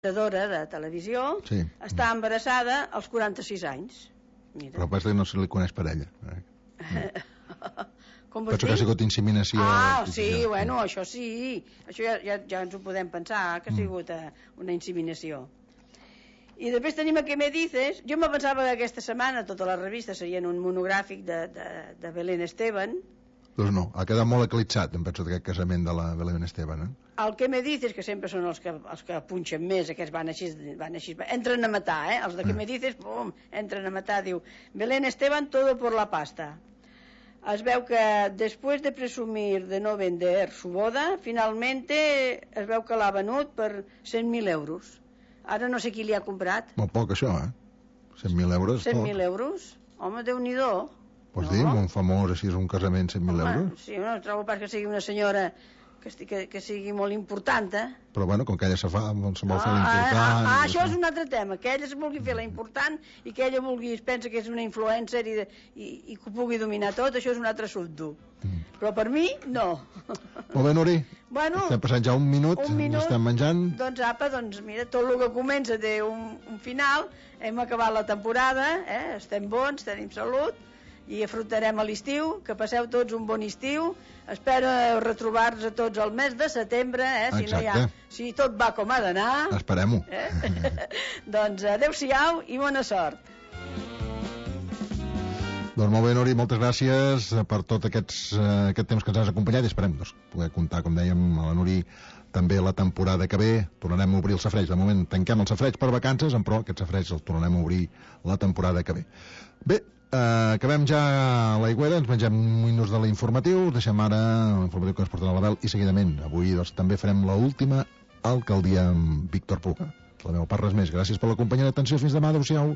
presentadora de televisió, està embarassada als 46 anys. Mira. Però pas que no se li coneix per ella. Com vols dir? Penso que ha sigut inseminació. Sí, bueno, això sí. Això ja ens ho podem pensar, que ha sigut una inseminació. I després tenim a Què me dices. Jo me pensava que aquesta setmana totes les revistes serien un monogràfic de Belén Esteban. Doncs no, ha quedat molt eclipsat, em penso, d'aquest casament de la Belén Esteban. El Què me dices, que sempre són els que punxen més, aquests van així, entren a matar, els de Què me dices, pum, entren a matar, diu Belén Esteban, todo por la pasta. Es veu que després de presumir de no vender su boda, finalmente es veu que l'ha venut per 100.000 euros. Ara no sé qui li ha comprat. Molt poc, això, 100.000 euros. 100.000 euros? Home, Déu-n'hi-do. Pots dir, un famós, així és un casament, 100.000 euros? Sí, no trobo pas que sigui una senyora que sigui molt important, Però bueno, com que ella se vol fer l'important... Això és un altre tema, que ella es vulgui fer la important i que ella es pensa que és una influencer i que ho pugui dominar tot, això és un altre assumpte. Però per mi, no. Molt bé, Nuri, estem passant ja un minut, estem menjant. Doncs mira, tot el que comença té un final, hem acabat la temporada, estem bons, tenim salut, i afrontarem a l'estiu, que passeu tots un bon estiu. Espero retrobar-nos a tots al mes de setembre, si tot va com ha d'anar. Esperem-ho. Doncs adeu-siau i bona sort. Doncs molt bé, Nuri, moltes gràcies per tot aquest temps que ens has acompanyat i esperem poder comptar, com dèiem, a la Nuri també la temporada que ve. Tornarem a obrir el safareig. De moment tanquem el safareig per vacances, però aquest safareig el tornarem a obrir la temporada que ve. Bé, acabem ja l'aigüera, ens mengem minuts de l'informatiu, deixem ara l'informatiu que ens portarà l'Abel i seguidament avui també farem l'última alcaldia amb Víctor Puga. La meva part, res més. Gràcies per la companyia d'atenció. Fins demà. Adéu-siau.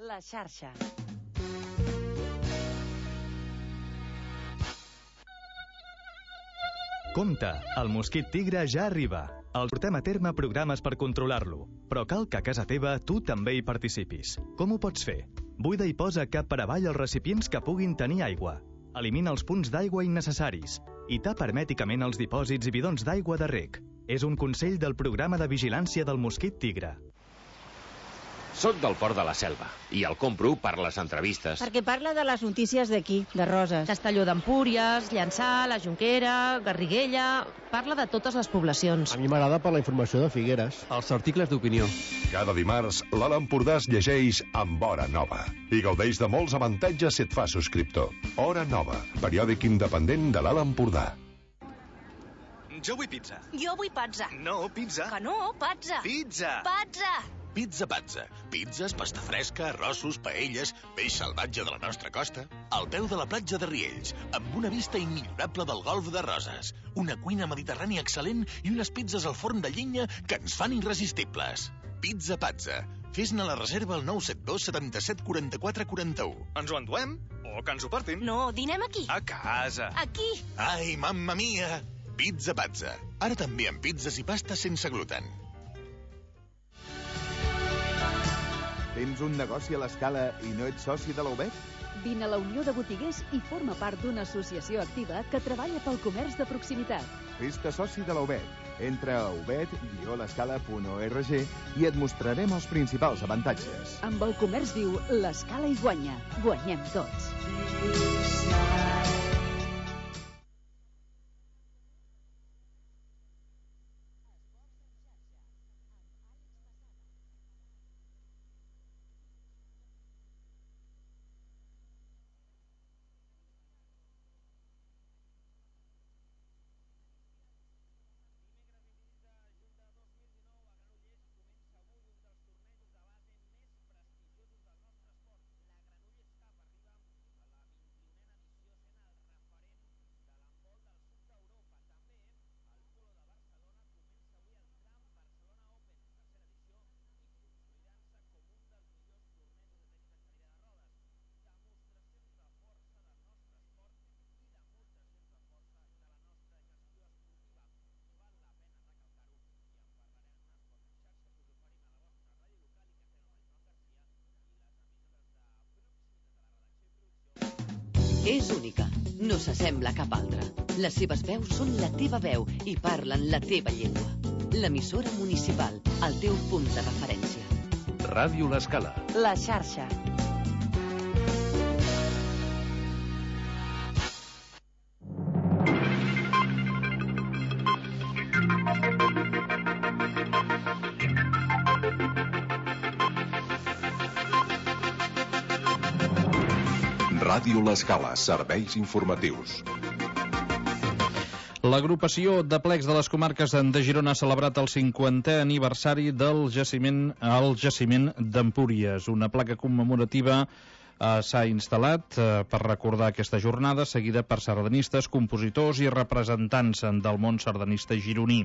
La xarxa. Compte, el mosquit tigre ja arriba. El portem a terme programes per controlar-lo, però cal que a casa teva tu també hi participis. Com ho pots fer? Buida i posa cap per avall els recipients que puguin tenir aigua. Elimina els punts d'aigua innecessaris i tapa hermèticament els dipòsits i bidons d'aigua de reg. És un consell del programa de vigilància del mosquit tigre. Soc del Port de la Selva i el compro per les entrevistes. Perquè parla de les notícies d'aquí, de Roses. Castelló d'Empúries, Llançà, la Jonquera, Garriguella... Parla de totes les poblacions. A mi m'agrada per la informació de Figueres. Els articles d'opinió. Cada dimarts, l'Alt Empordà es llegeix amb Hora Nova i gaudeix de molts avantatges si et fa subscriptor. Hora Nova, periòdic independent de l'Alt Empordà. Jo vull pizza. Jo vull pazza. No, pizza. Que no, pazza. Pizza. Pazza. Pizza Pazza. Pizzas, pasta fresca, arrossos, paelles, peix salvatge de la nostra costa. Al peu de la platja de Riells, amb una vista immillorable del golf de Roses. Una cuina mediterrània excel·lent i unes pizzas al forn de llenya que ens fan irresistibles. Pizza Pazza. Fes-ne la reserva al 972 77 44 41. Ens ho enduem? O que ens ho portin? No, dinem aquí. A casa. Aquí. Ai, mamma mia. Pizza Pazza. Ara també amb pizzas i pastes sense gluten. Tens un negoci a l'Escala i no ets soci de la UBEC? Vine a la Unió de Botiguers i forma part d'una associació activa que treballa pel comerç de proximitat. Fes-te soci de la UBEC. Entra a ubed-l'escala.org i et mostrarem els principals avantatges. Amb el comerç viu, l'Escala hi guanya. Guanyem tots. És única, no s'assembla a cap altra. Les seves veus són la teva veu i parlen la teva llengua. L'emissora municipal, el teu punt de referència. Ràdio L'Escala. La xarxa. Ràdio L'Escala, serveis informatius. L'agrupació de plecs de les comarques de Girona ha celebrat el 50è aniversari del jaciment d'Empúries. Una placa commemorativa s'ha instal·lat per recordar aquesta jornada, seguida per sardanistes, compositors i representants del món sardanista gironí.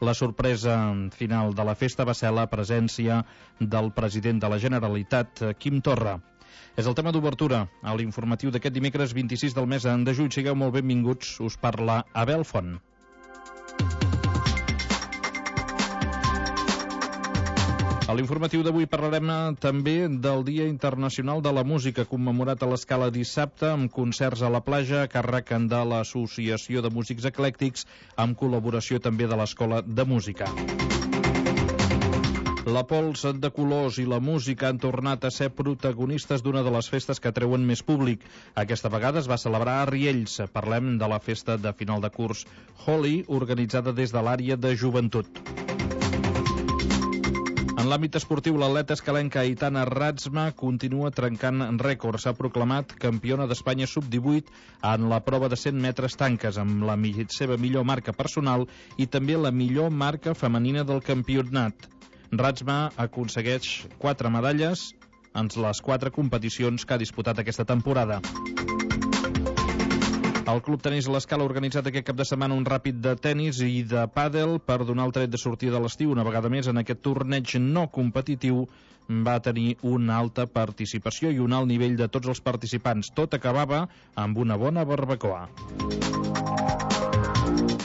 La sorpresa final de la festa va ser la presència del president de la Generalitat, Quim Torra. És el tema d'obertura a l'informatiu d'aquest dimecres 26 del mes de juny. Sigueu molt benvinguts, us parla Abel Font. A l'informatiu d'avui parlarem també del Dia Internacional de la Música, commemorat a l'Escala dissabte, amb concerts a la platja a càrrec de l'Associació de Músics Eclèctics, amb col·laboració també de l'Escola de Música. La pols de colors i la música han tornat a ser protagonistes d'una de les festes que treuen més públic. Aquesta vegada es va celebrar a Riells. Parlem de la festa de final de curs Holi, organitzada des de l'àrea de joventut. En l'àmbit esportiu, l'atleta escalenca Aitana Ratzma continua trencant rècords. S'ha proclamat campiona d'Espanya sub-18 en la prova de 100 metres tanques, amb la seva millor marca personal i també la millor marca femenina del campionat. Ratzma aconsegueix 4 medalles en les 4 competicions que ha disputat aquesta temporada. El Club Tenis L'Escala ha organitzat aquest cap de setmana un ràpid de tenis i de pàdel per donar el tret de sortida de l'estiu. Una vegada més, en aquest torneig no competitiu va tenir una alta participació i un alt nivell de tots els participants. Tot acabava amb una bona barbacoa.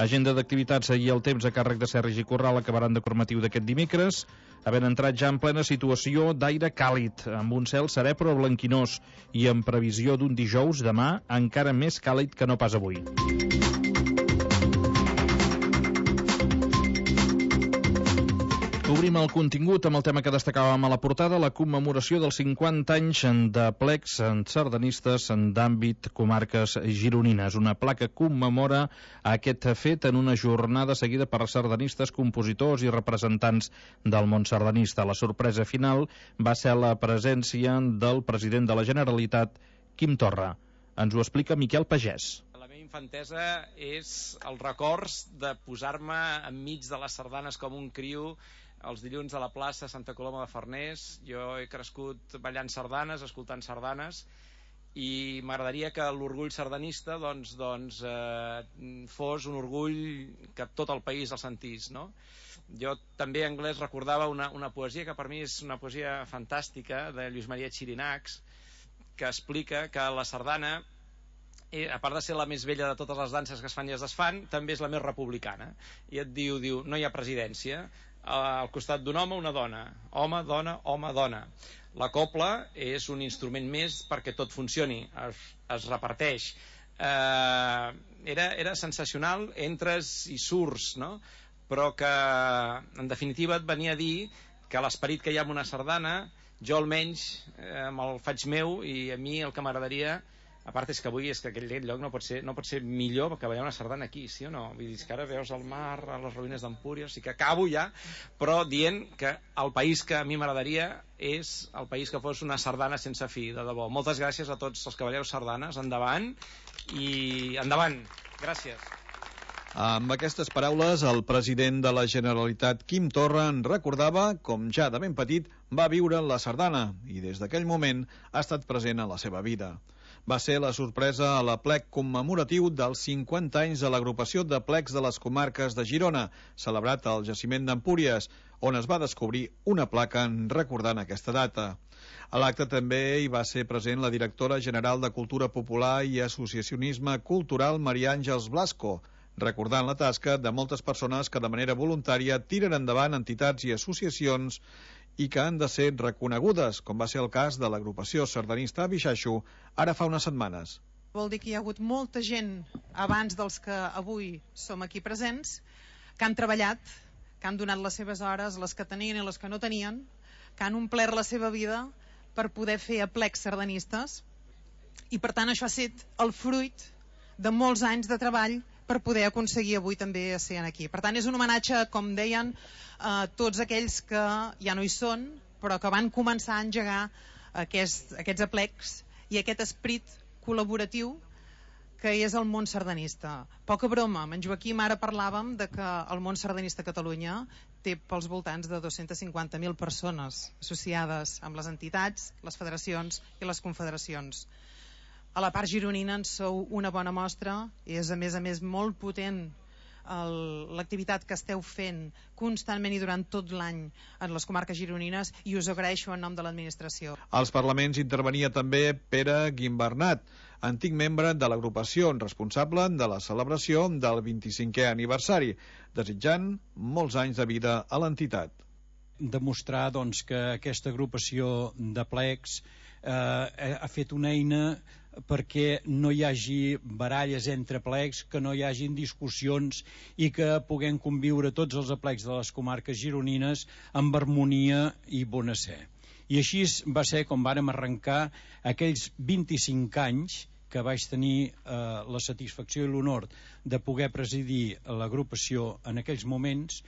Agenda d'activitats i el temps a càrrec de Sergi Corral acabaran d'informatiu d'aquest dimecres, havent entrat ja en plena situació d'aire càlid, amb un cel serè però blanquinós i amb previsió d'un dijous demà encara més càlid que no pas avui. Obrim el contingut amb el tema que destacàvem a la portada, la commemoració dels 50 anys de plecs sardanistes d'àmbit comarques gironines. Una placa commemora aquest fet en una jornada seguida per sardanistes, compositors i representants del món sardanista. La sorpresa final va ser la presència del president de la Generalitat, Quim Torra. Ens ho explica Miquel Pagès. La meva infantesa és els records de posar-me enmig de les sardanes com un criu els dilluns a la plaça Santa Coloma de Farners. Jo he crescut ballant sardanes, escoltant sardanes, i m'agradaria que l'orgull sardanista fos un orgull que tot el país el sentís, no? Jo també en anglès recordava una poesia que per mi és una poesia fantàstica de Lluís Maria Xirinacs, que explica que la sardana, a part de ser la més vella de totes les danses que es fan i es desfan, també és la més republicana. I et diu, no hi ha presidència, al costat d'un home una dona, home, dona, home, dona. La cobla és un instrument més perquè tot funcioni, es reparteix. Era sensacional, entres i surts, no? Però que en definitiva et venia a dir que l'esperit que hi ha en una sardana, jo almenys me'l faig meu, i a mi el que m'agradaria, a part és que avui que aquell lloc no pot ser millor que ballar una sardana aquí, sí o no? Vull dir que ara veus el mar, a les ruïnes d'Empúries, o sigui que acabo ja, però dient que el país que a mi m'agradaria és el país que fos una sardana sense fi, de debò. Moltes gràcies a tots els que balleu sardanes, endavant, i endavant. Gràcies. Amb aquestes paraules, el president de la Generalitat, Quim Torra, en recordava com ja de ben petit va viure la sardana i des d'aquell moment ha estat present a la seva vida. Va ser la sorpresa a l'aplec commemoratiu dels 50 anys de l'agrupació de plecs de les comarques de Girona, celebrat al jaciment d'Empúries, on es va descobrir una placa recordant aquesta data. A l'acte també hi va ser present la directora general de Cultura Popular i Associacionisme Cultural, Maria Àngels Blasco, recordant la tasca de moltes persones que de manera voluntària tiren endavant entitats i associacions i que han de ser reconegudes, com va ser el cas de l'agrupació sardanista Bixaixo ara fa unes setmanes. Vol dir que hi ha hagut molta gent abans dels que avui som aquí presents, que han treballat, que han donat les seves hores, les que tenien i les que no tenien, que han omplert la seva vida per poder fer aplecs sardanistes, i per tant això ha estat el fruit de molts anys de treball per poder aconseguir avui també ser aquí. Per tant, és un homenatge, com deien, a tots aquells que ja no hi són, però que van començar a engegar aquests aplecs i aquest esperit col·laboratiu que és el món sardanista. Poca broma, amb en Joaquim ara parlàvem de que el món sardanista a Catalunya té pels voltants de 250.000 persones associades amb les entitats, les federacions i les confederacions. A la part gironina en sou una bona mostra, és a més molt potent l'activitat que esteu fent constantment i durant tot l'any en les comarques gironines, i us agraeixo en nom de l'administració. Als parlaments intervenia també Pere Guimbernat, antic membre de l'agrupació responsable de la celebració del 25è aniversari, desitjant molts anys de vida a l'entitat. Demostrar doncs, que aquesta agrupació de plecs ha fet una eina perquè no hi hagi baralles entre plecs, que no hi hagin discussions i que puguem conviure tots els aplecs de les comarques gironines amb harmonia i bona sé. I així va ser com vàrem arrencar aquells 25 anys que vaig tenir la satisfacció i l'honor de poder presidir l'agrupació en aquells moments,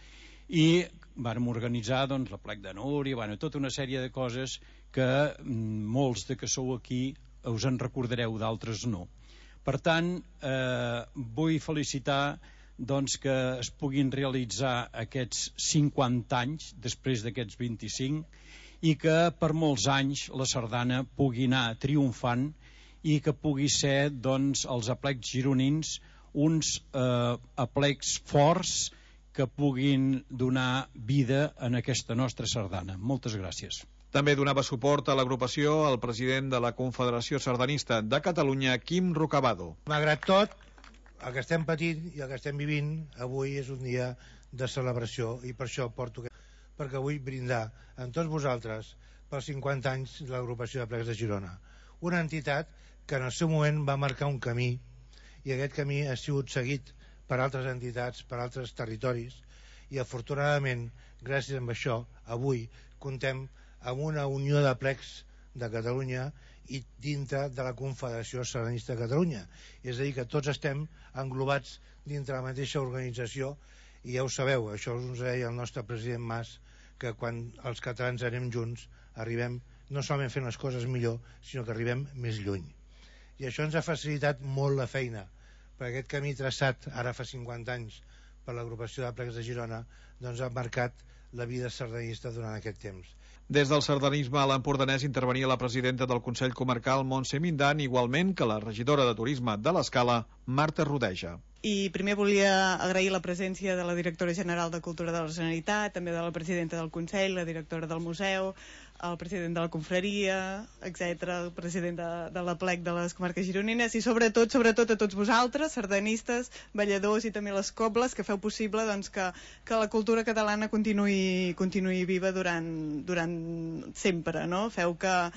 i vàrem organitzar doncs, l'aplec de Núria, tota una sèrie de coses que molts de que sou aquí us en recordareu, d'altres no. Per tant, vull felicitar doncs, que es puguin realitzar aquests 50 anys després d'aquests 25 i que per molts anys la sardana pugui anar triomfant i que pugui ser doncs, els aplecs gironins uns aplecs forts que puguin donar vida en aquesta nostra sardana. Moltes gràcies. També donava suport a l'agrupació el president de la Confederació Sardanista de Catalunya, Quim Rocabado. Malgrat tot, el que estem patint i el que estem vivint, avui és un dia de celebració, i per això porto perquè vull brindar amb tots vosaltres pels 50 anys de l'agrupació de plecs de Girona. Una entitat que en el seu moment va marcar un camí, i aquest camí ha sigut seguit per altres entitats, per altres territoris, i afortunadament, gràcies a això, avui contem amb una unió de plecs de Catalunya i dintre de la Confederació Sardanista de Catalunya. És a dir, que tots estem englobats dintre la mateixa organització, i ja ho sabeu, això us deia el nostre president Mas, que quan els catalans anem junts arribem no solament fent les coses millor, sinó que arribem més lluny. I això ens ha facilitat molt la feina, perquè aquest camí traçat ara fa 50 anys per l'agrupació de plecs de Girona doncs ha marcat la vida sardanista durant aquest temps. Des del sardanisme a l'Empordanès intervenia la presidenta del Consell Comarcal, Montse Mindan, igualment que la regidora de Turisme de l'Escala, Marta Rodeja. I primer volia agrair la presència de la directora general de Cultura de la Generalitat, també de la presidenta del Consell, la directora del Museu, el president de la Confraria, etc., el president de l'Aplec de les comarques gironines, i sobretot a tots vosaltres, sardanistes, balladors i també les cobles, que feu possible doncs, que la cultura catalana continuï viva durant sempre, no? Feu que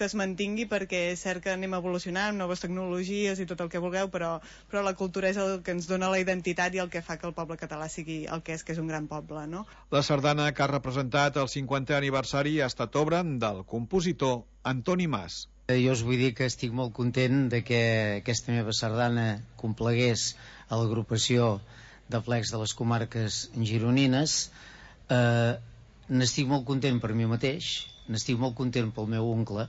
es mantingui, perquè és cert que anem evolucionant amb noves tecnologies i tot el que vulgueu, però la cultura és el que ens dona la identitat i el que fa que el poble català sigui el que és un gran poble, no? La sardana que ha representat el 50è aniversari ha estat obra del compositor Antoni Mas. Jo us vull dir que estic molt content de que aquesta meva sardana complegués a l'agrupació de plecs de les comarques gironines. N'estic molt content per mi mateix, n'estic molt content pel meu oncle.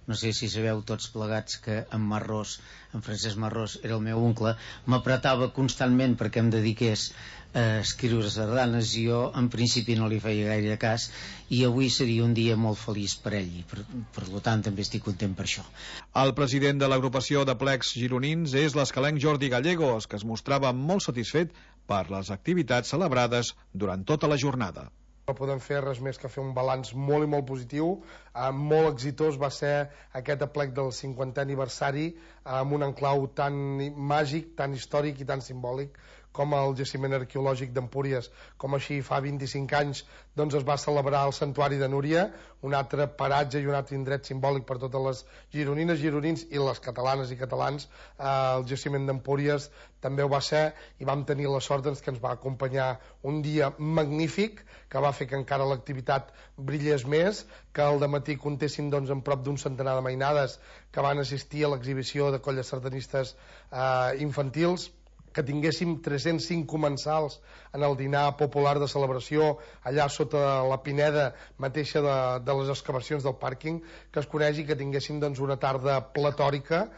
No sé si sabeu tots plegats que en Francesc Marrós era el meu oncle, m'apretava constantment perquè em dediqués a escriure sardanes, i jo en principi no li feia gaire cas, i avui seria un dia molt feliç per ell, i per tant també estic content per això. El president de l'agrupació de plecs gironins és l'escalenc Jordi Gallegos, que es mostrava molt satisfet per les activitats celebrades durant tota la jornada. No podem fer res més que fer un balanç molt i molt positiu. Molt exitós va ser aquest aplec del 50è aniversari, amb un enclau tan màgic, tan històric i tan simbòlic com el jaciment arqueològic d'Empúries, com així fa 25 anys doncs es va celebrar el Santuari de Núria, un altre paratge i un altre indret simbòlic per totes les gironines, gironins i les catalanes i catalans. El jaciment d'Empúries també ho va ser i vam tenir la sort doncs, que ens va acompanyar un dia magnífic que va fer que encara l'activitat brillés més, que al dematí comptéssim doncs, en prop d'un centenar de mainades que van assistir a l'exhibició de colles sardanistes infantils, que tinguéssim 305 comensals en el dinar popular de celebració allà sota la pineda mateixa de les excavacions del pàrquing, que es conegi, que tinguéssim doncs, una tarda platòrica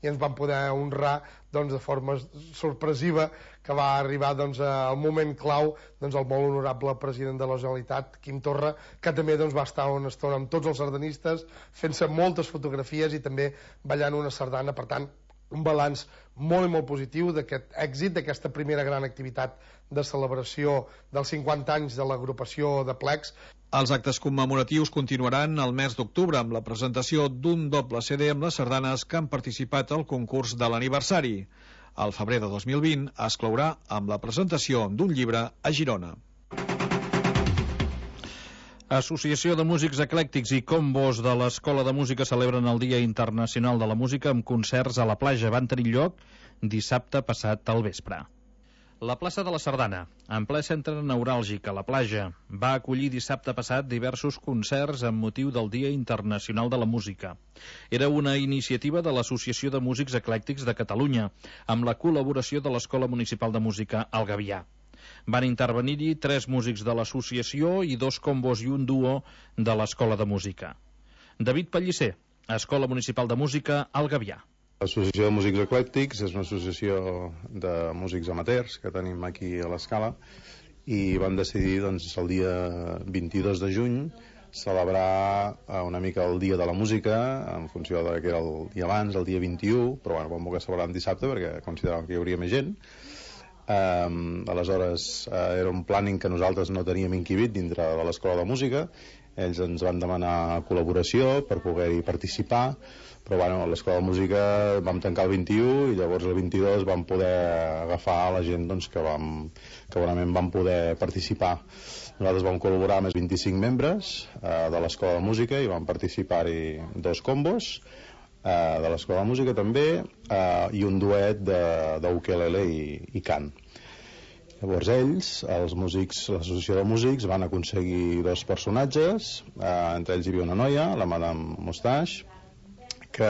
i ens van poder honrar doncs, de forma sorpresiva, que va arribar doncs, al moment clau doncs, el molt honorable president de la Generalitat, Quim Torra, que també doncs, va estar una estona amb tots els sardanistes fent-se moltes fotografies i també ballant una sardana. Per tant, un balanç molt i molt positiu d'aquest èxit, d'aquesta primera gran activitat de celebració dels 50 anys de l'agrupació de plecs. Els actes commemoratius continuaran el mes d'octubre amb la presentació d'un doble CD amb les sardanes que han participat al concurs de l'aniversari. Al febrer de 2020 es clourà amb la presentació d'un llibre a Girona. Associació de Músics Eclèctics i Combos de l'Escola de Música celebren el Dia Internacional de la Música amb concerts a la platja. Van tenir lloc dissabte passat al vespre. La plaça de la Sardana, en ple centre neuràlgic a la platja, va acollir dissabte passat diversos concerts amb motiu del Dia Internacional de la Música. Era una iniciativa de l'Associació de Músics Eclèctics de Catalunya, amb la col·laboració de l'Escola Municipal de Música al Gavià. Van intervenir-hi 3 músics de l'associació i 2 combos i un duo de l'Escola de Música. David Pellicer, Escola Municipal de Música al Gavià. L'Associació de Músics Eclèctics és una associació de músics amateurs que tenim aquí a l'Escala i vam decidir doncs, el dia 22 de juny celebrar una mica el Dia de la Música en funció de que era el dia abans, el dia 21, però bueno, vam voler celebrar en dissabte perquè consideràvem que hi hauria més gent. Aleshores era un planning que nosaltres no teníem inquibit dintre de l'Escola de Música. Ells ens van demanar col·laboració per poder-hi participar, però bueno, a l'Escola de Música vam tancar el 21 i llavors el 22 vam poder agafar la gent doncs, que bonament vam poder participar. Nosaltres vam col·laborar amb els 25 membres de l'Escola de Música i vam participar-hi 2 combos de l'Escola de Música també i un duet d'ukelele i cant. Llavors ells, els músics, l'associació de músics, van aconseguir 2 personatges, entre ells hi havia una noia, la Madame Moustache, que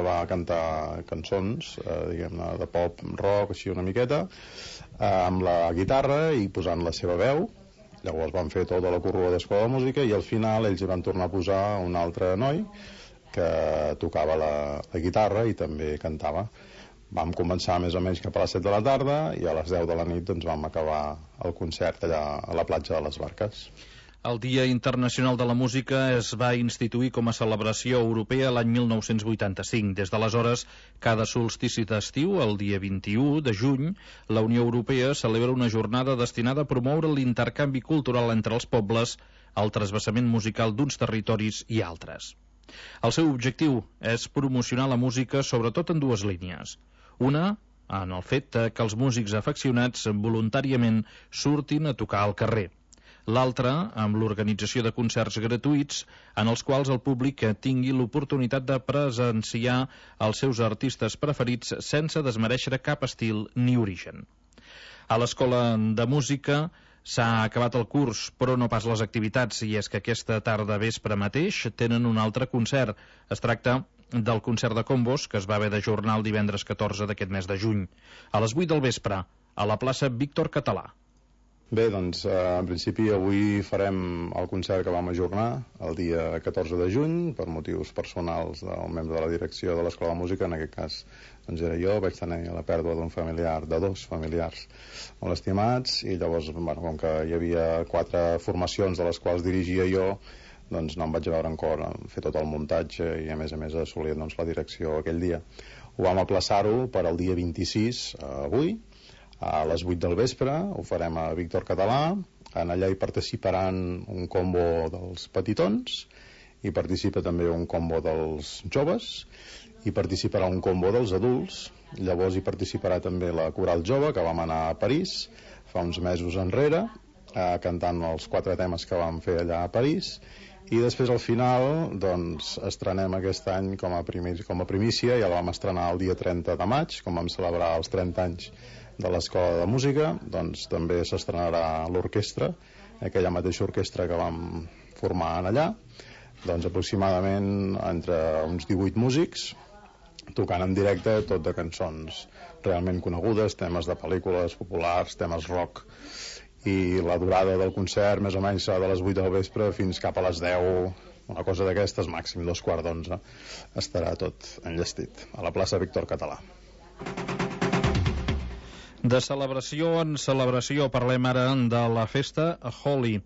va cantar cançons, diguem-ne, de pop, rock, així una miqueta, amb la guitarra i posant la seva veu. Llavors van fer tota la corrua d'Escola de Música i al final ells hi van tornar a posar un altre noi que tocava la guitarra i també cantava. Vam començar més o menys cap a les 7 de la tarda i a les 10 de la nit doncs, vam acabar el concert allà a la platja de les Barques. El Dia Internacional de la Música es va instituir com a celebració europea l'any 1985. Des d'aleshores, cada solstici d'estiu, el dia 21 de juny, la Unió Europea celebra una jornada destinada a promoure l'intercanvi cultural entre els pobles, el trasbassament musical d'uns territoris i altres. El seu objectiu és promocionar la música sobretot en 2 línies. Una, en el fet que els músics afeccionats voluntàriament surtin a tocar al carrer. L'altra, amb l'organització de concerts gratuïts en els quals el públic tingui l'oportunitat de presenciar els seus artistes preferits sense desmereixer cap estil ni origen. A l'Escola de Música s'ha acabat el curs, però no pas les activitats, i és que aquesta tarda vespre mateix tenen un altre concert. Es tracta del concert de combos, que es va haver d'ajornar el divendres 14 d'aquest mes de juny, a les 8 del vespre, a la plaça Víctor Català. Bé, doncs, en principi avui farem el concert que vam ajornar el dia 14 de juny per motius personals del membre de la direcció de l'Escola de Música. En aquest cas doncs era jo, vaig tenir la pèrdua d'un familiar, de 2 familiars molt estimats, i llavors, bueno, com que hi havia 4 formacions de les quals dirigia jo, doncs no em vaig veure en cor en fer tot el muntatge i a més assolir doncs, la direcció aquell dia. Ho vam aplaçar-ho per al dia 26, avui, a les 8 del vespre. Ho farem a Víctor Català. En allà hi participaran un combo dels petitons, hi participa també un combo dels joves hi participarà un combo dels adults, llavors hi participarà també la coral jove, que vam anar a París fa uns mesos enrere, cantant els 4 temes que vam fer allà a París, i després al final doncs estrenem aquest any com a primícia, ja la vam estrenar el dia 30 de maig, com vam celebrar els 30 anys de l'Escola de Música, doncs també s'estrenarà l'orquestra, aquella mateixa orquestra que vam formar allà, doncs aproximadament entre uns 18 músics, tocant en directe tot de cançons realment conegudes, temes de pel·lícules populars, temes rock, i la durada del concert més o menys serà de les 8 del vespre fins cap a les 10, una cosa d'aquestes, màxim 11:15 estarà tot enllestit a la plaça Víctor Català. De celebració en celebració parlem ara de la festa Holi.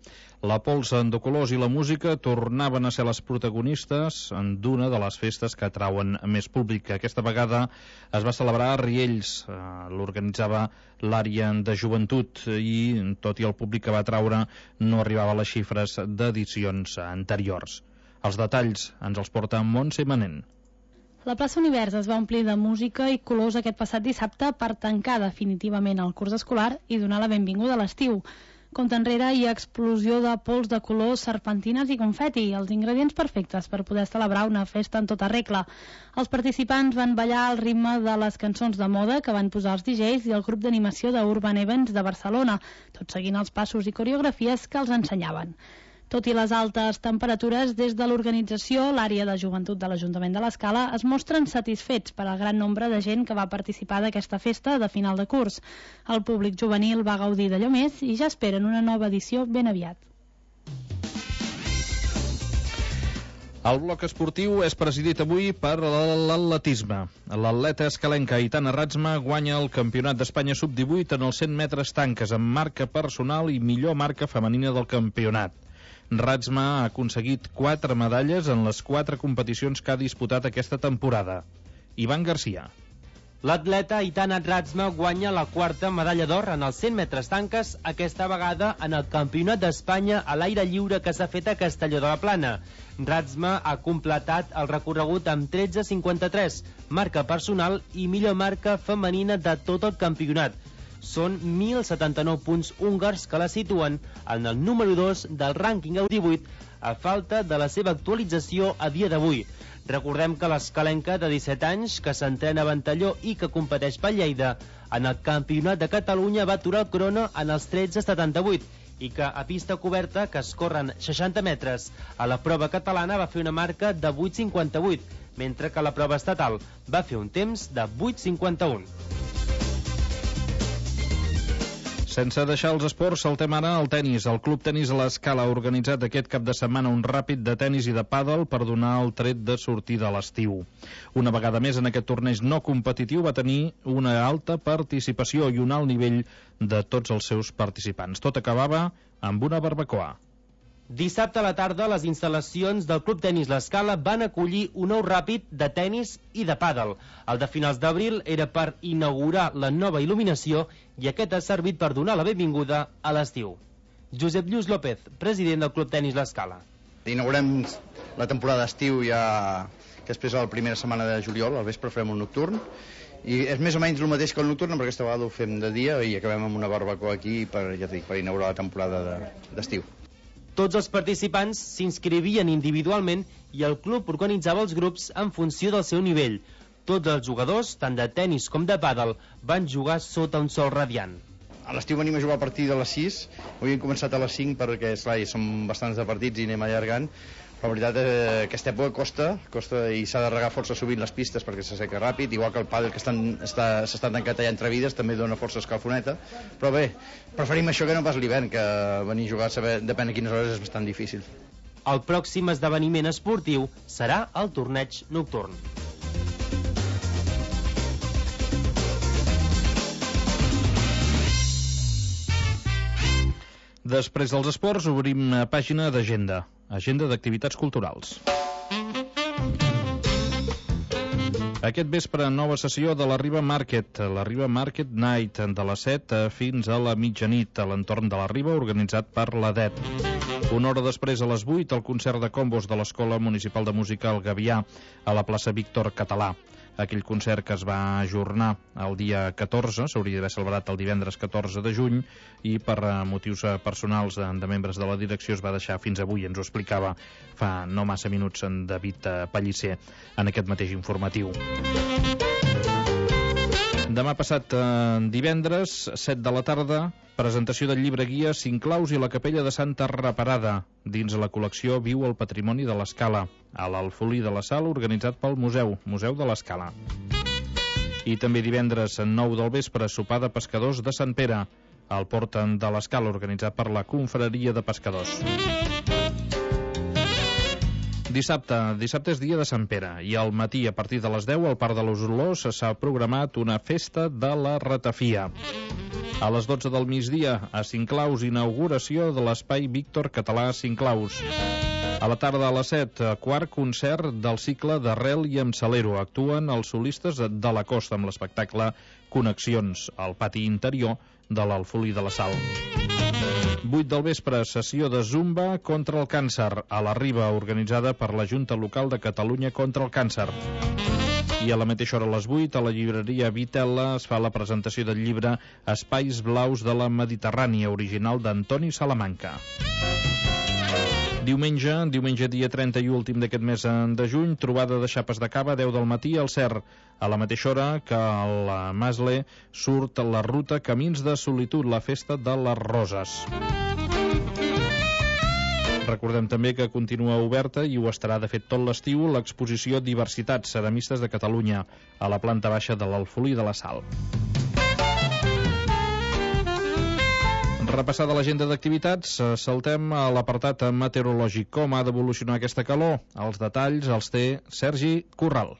La pols de colors i la música tornaven a ser les protagonistes d'una de les festes que atrauen més públic. Aquesta vegada es va celebrar a Riells, l'organitzava l'àrea de joventut i tot i el públic que va atraure no arribava a les xifres d'edicions anteriors. Els detalls ens els porta Montse Manent. La plaça Univers es va omplir de música i colors aquest passat dissabte per tancar definitivament el curs escolar i donar la benvinguda a l'estiu. Compte enrere hi ha explosió de pols de colors, serpentines i confeti, els ingredients perfectes per poder celebrar una festa en tota regla. Els participants van ballar al ritme de les cançons de moda que van posar els DJs i el grup d'animació d'Urban Events de Barcelona, tot seguint els passos i coreografies que els ensenyaven. Tot i les altes temperatures, des de l'organització, l'àrea de joventut de l'Ajuntament de l'Escala es mostren satisfets per al gran nombre de gent que va participar d'aquesta festa de final de curs. El públic juvenil va gaudir d'allò més i ja esperen una nova edició ben aviat. El bloc esportiu és presidit avui per l'atletisme. L'atleta escalenca Aitana Ratzma guanya el Campionat d'Espanya sub-18 en els 100 metres tanques amb marca personal i millor marca femenina del campionat. Ratzma ha aconseguit 4 medalles en les 4 competicions que ha disputat aquesta temporada. Ivan Garcia. L'atleta Aitana Ratzma guanya la 4ª medalla d'or en els 100 metres tanques, aquesta vegada en el Campionat d'Espanya a l'aire lliure que s'ha fet a Castelló de la Plana. Ratzma ha completat el recorregut amb 13.53, marca personal i millor marca femenina de tot el campionat. Són 1.079 punts húngars que la situen en el número 2 del rànquing EU18 a falta de la seva actualització a dia d'avui. Recordem que l'escalenca de 17 anys, que s'entrena a Ventalló i que competeix per Lleida, en el Campionat de Catalunya va aturar el crono en els 13.78 i que a pista coberta, que es corren 60 metres, a la prova catalana va fer una marca de 8.58, mentre que la prova estatal va fer un temps de 8.51. Sense deixar els esports, saltem ara al tenis. El Club Tenis a l'Escala ha organitzat aquest cap de setmana un ràpid de tenis i de pàdel per donar el tret de sortida a l'estiu. Una vegada més en aquest torneig no competitiu va tenir una alta participació i un alt nivell de tots els seus participants. Tot acabava amb una barbacoa. Dissabte a la tarda, les instal·lacions del Club Tenis l'Escala van acollir un nou ràpid de tenis i de pàdel. El de finals d'abril era per inaugurar la nova il·luminació i aquest ha servit per donar la benvinguda a l'estiu. Josep Lluís López, president del Club Tenis l'Escala. Inaugurem la temporada d'estiu ja que després a la primera setmana de juliol, al vespre farem un nocturn, i és més o menys el mateix que el nocturn, però aquesta vegada ho fem de dia i acabem amb una barbacoa aquí per inaugurar la temporada d'estiu. Tots els participants s'inscrivien individualment i el club organitzava els grups en funció del seu nivell. Tots els jugadors, tant de tenis com de pàdel, van jugar sota un sol radiant. A l'estiu venim a jugar a partir de les 6, avui hem començat a les 5 perquè esclar, són bastants de partits i anem allargant. La veritat és que aquesta època costa i s'ha de regar força sovint les pistes perquè s'asseca ràpid, igual que el pàdel que s'està tancat allà entre vides també dona força escalfoneta, però bé, preferim això que no pas l'hivern, que venir a jugar depèn de quines hores és bastant difícil. El pròxim esdeveniment esportiu serà el torneig nocturn. Després dels esports obrim pàgina d'agenda d'activitats culturals. Aquest vespre, nova sessió de la Riba Market Night, de les 7 fins a la mitjanit, a l'entorn de la Riba, organitzat per l'ADET. Una hora després, a les 8, el concert de combos de l'Escola Municipal de Música El Gavià, a la plaça Víctor Català. Aquell concert que es va ajornar el dia 14, s'hauria d'haver celebrat el divendres 14 de juny, i per motius personals de membres de la direcció es va deixar fins avui. Ens ho explicava fa no massa minuts en David Pellicer en aquest mateix informatiu. Demà passat, divendres, 7 de la tarda, presentació del llibre guia Sinclaus i la capella de Santa Reparada, dins la col·lecció Viu el Patrimoni de l'Escala, a l'Alfolí de la Sal, organitzat pel Museu de l'Escala. I també divendres, 9 del vespre, sopar de pescadors de Sant Pere, al Port de l'Escala, organitzat per la Confraria de Pescadors. Dissabte és dia de Sant Pere, i al matí, a partir de les 10, al Parc de les Olors s'ha programat una festa de la ratafia. A les 12 del migdia, a Sinclaus, inauguració de l'espai Víctor Català Sinclaus. A la tarda, a les 7, quart concert del cicle d'Arrel i amb Salero. Actuen els solistes de la Costa amb l'espectacle Connexions, al pati interior de l'Alfolí de la Sal. 8 del vespre, sessió de Zumba contra el càncer, a la Riba, organitzada per la Junta Local de Catalunya contra el Càncer. I a la mateixa hora, a les 8, a la llibreria Vitella es fa la presentació del llibre Espais Blaus de la Mediterrània, original d'Antoni Salamanca. Diumenge dia 31, últim d'aquest mes de juny, trobada de xapes de cava, 10 del matí, al Cer. A la mateixa hora que al Masle surt la ruta Camins de Solitud, la festa de les Roses. Recordem també que continua oberta, i ho estarà de fet tot l'estiu, l'exposició Diversitats Ceramistes de Catalunya, a la planta baixa de l'Alfolí de la Sal. Repassada l'agenda d'activitats, saltem a l'apartat meteorològic. Com ha d'evolucionar aquesta calor? Els detalls els té Sergi Corral.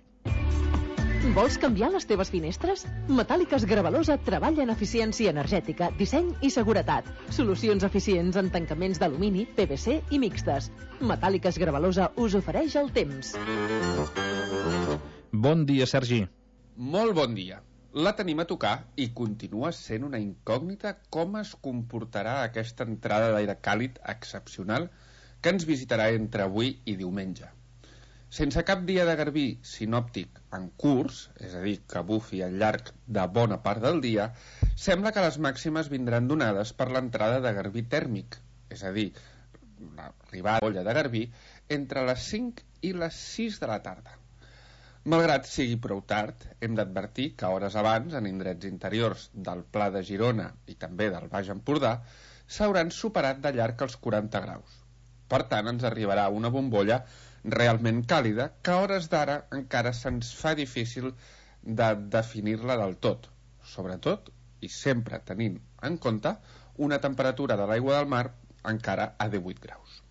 Vols canviar les teves finestres? Metàl·liques Gravalosa treballa en eficiència energètica, disseny i seguretat. Solucions eficients en tancaments d'alumini, PVC i mixtes. Metàl·liques Gravalosa us ofereix el temps. Bon dia, Sergi. Molt bon dia. La tenim a tocar i continua sent una incògnita com es comportarà aquesta entrada d'aire càlid excepcional que ens visitarà entre avui i diumenge. Sense cap dia de garbí sinòptic en curs, és a dir, que bufi al llarg de bona part del dia, sembla que les màximes vindran donades per l'entrada de garbí tèrmic, és a dir, l'arribada de bolla de garbí entre les 5 i les 6 de la tarda. Malgrat sigui prou tard, hem d'advertir que hores abans, en indrets interiors del Pla de Girona i també del Baix Empordà, s'hauran superat de llarg els 40 graus. Per tant, ens arribarà una bombolla realment càlida que a hores d'ara encara se'ns fa difícil de definir-la del tot, sobretot i sempre tenint en compte una temperatura de l'aigua del mar encara a 18 graus.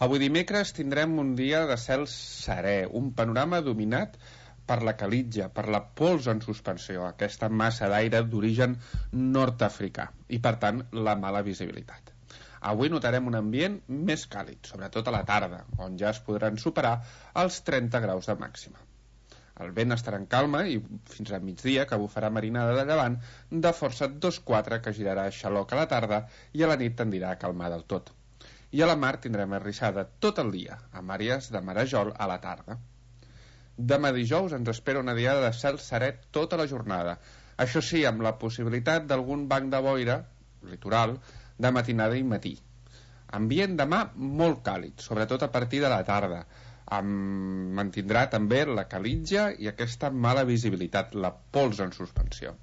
Avui dimecres tindrem un dia de cel serè, un panorama dominat per la calitja, per la pols en suspensió, aquesta massa d'aire d'origen nord-africà i, per tant, la mala visibilitat. Avui notarem un ambient més càlid, sobretot a la tarda, on ja es podran superar els 30 graus de màxima. El vent estarà en calma i fins a migdia, que bufarà marinada de llevant de força 2-4, que girarà a xaloc a la tarda i a la nit tendirà a calmar del tot. I a la mar tindrem arrissada tot el dia, amb àrees de marejol a la tarda. Demà dijous ens espera una diada de cel serè tota la jornada, això sí, amb la possibilitat d'algun banc de boira litoral de matinada i matí. Ambient demà molt càlid, sobretot a partir de la tarda. Mantindrà també la calitja i aquesta mala visibilitat, la pols en suspensió.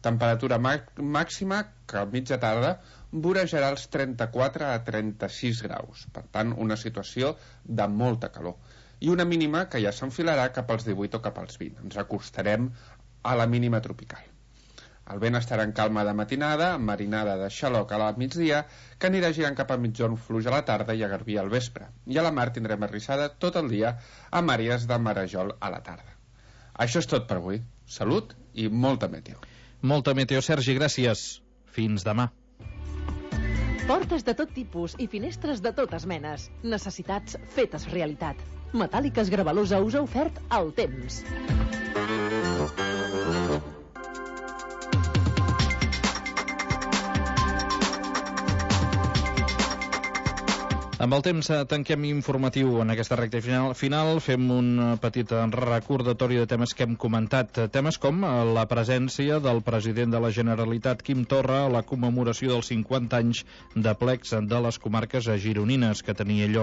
Temperatura màxima que a mitja tarda vorejarà els 34 a 36 graus, per tant una situació de molta calor, i una mínima que ja s'enfilarà cap als 18 o cap als 20. Ens acostarem a la mínima tropical. El vent estarà en calma de matinada, amb marinada de xaloc a la migdia, que anirà girant cap a mitjorn fluix a la tarda i a garbí al vespre. I a la mar tindrem arrissada tot el dia amb àrees de marejol a la tarda. Això és tot per avui. Salut i molta meteo. Molta meteo, Sergi, gràcies. Fins demà. Portes de tot tipus i finestres de totes menes. Necessitats fetes realitat. Metàl·liques Gravalusa us ha ofert el temps. Amb el temps tanquem informatiu en aquesta recta final. Fem un petit recordatori de temes que hem comentat. Temes com la presència del president de la Generalitat, Quim Torra, a la commemoració dels 50 anys de plecs de les comarques gironines que tenia lloc